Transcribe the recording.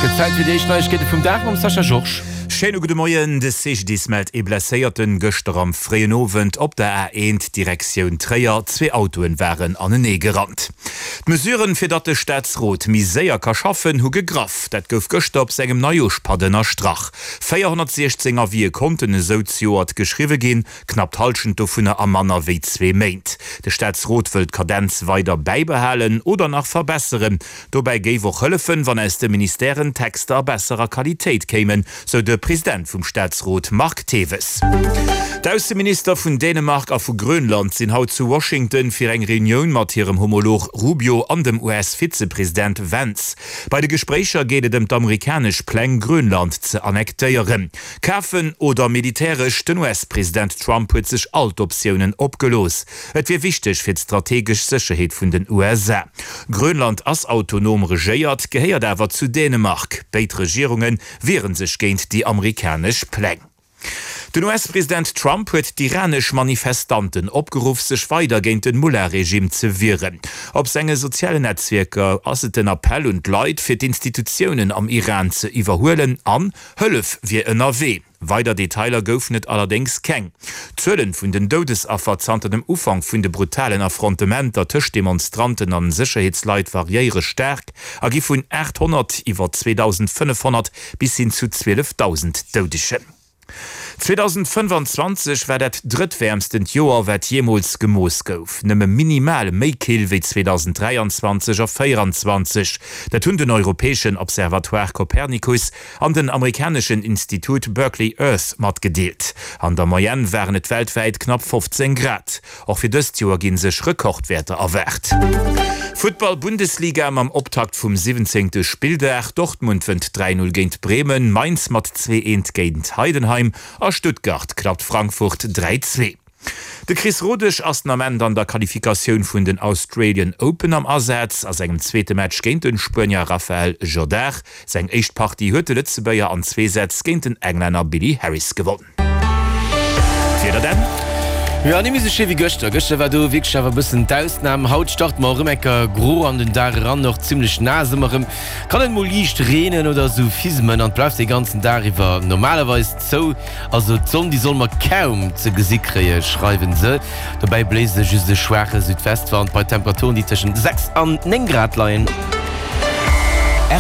Gëtt Zäit fir déi éischt Neiegkeete vum Dag mam Sascha Georges. Schéine gudde Moien. De CGDIS mellt ee Blesséierten gëschter am fréien Owend op der A1 Direktioun Tréier. Zwee Autoen waren anenee gerannt. D'Mesuren, fir datt de Staatsrot méi séier ka schaffen, hu gegraff. Dat gouf gëschter op sengem Neijooschpatt ënnerstrach. 416 Avisë konnten esou zejoert geschriwwe ginn, knapp d'Hallschent dovunner a manner wéi zwee Méint. De Staatsrot wëll d'Kadenz weider bäibehalen oder nach verbesseren. Dobäi géif och hëllefen, wann aus de Ministèren Texter a besserer Qualitéit kéimen, sou de President vum Staatsrot Marc Thewes. D'Ausseminister vun Dänemark a vu Grönland sinn haut zu Washington fir eng Reunioun mat hirem Homolog Rubio an dem US-Vizepresident Vance. Bei de Gespréicher geet et ëm d'amerikanesch Pläng, Grönland ze annektéieren. Kafen oder militäresch, den US-President Trump huet sech all d'Optiounen opgelooss. Et wier wichteg fir d'strategesch Sécherheet vun den USA. Grönland ass autonom regéiert, gehéiert awer zu Dänemark. Béid Regierunge wiere sech géint déi amerikanesch Pläng. Den US-President Trump huet d'iranesch Manifestanten opgeruff, sech weider géint den Mullah-Regime ze wieren. Op senge sozialen Netzwierker ass et den Appell un d'Leit, fir d'Institutiounen am Iran ze iwwerhuelen an Hëllef wier ënnerwee. Weider Detailer goufen et allerdéngs keng. D'Zuelen vun den Doudesaffer zanter dem Ufank vun de brutalen Affrontementer tëscht Demonstranten an Sécherheetsleit variéiere staark a gi vun 800 iwwer 2.500 bis hin zu 12.000 Doudegen. 2025 war dat drëttwäermstent Joer, wat jeemools gemooss gouf. Nëmme minimal méi kill wéi 2023 a 2024. Dat hunn den europäeschen Observatoire Copernicus an den amerikaneschen Institut Berkeley Earth matgedeelt. An der Moyenne waren et weltwäit knapp 15 Grad. Och fir dëst Joer gi sech Rekordwäerter erwaart. Futtball-Bundesliga mam Optakt vum 17. Spilldag, Dortmund wënnt 3, 0 géint Bremen, Mainz mat 2, 1 géint Heidenheim a Stuttgart klappt Frankfurt 3, 2. De Chris Rodesch ass den Ament an der Qualifikatioun vun den Australian Open am Asaz. A sengem zweete Match géint de Spuenier Rafael Jodar. Seng éischt Partie huet de Lëtzebuerger an zwee Sätz géint den Englänner Billy Harris gewonn. D'Wieder dann? Jo, ni méi sou schéi wéi gëschter. Gëschter war do wierklech awer e bëssen d'Ausnam. Haut starte mer erëm enker gro an den Dag eran, och zimmlech naass ëmmer erëm. Kann et mol liicht reenen oder sou fismen an et bleift de ganzen Dag iwwer normalerweis zou. Also d'Sonn, déi solle mer kaum ze gesi kréie, schreiwen se. Dobäi bléist e just e schwaache Südwestwand bei Temperaturen, déi tëschent 6 an 9 Grad leien.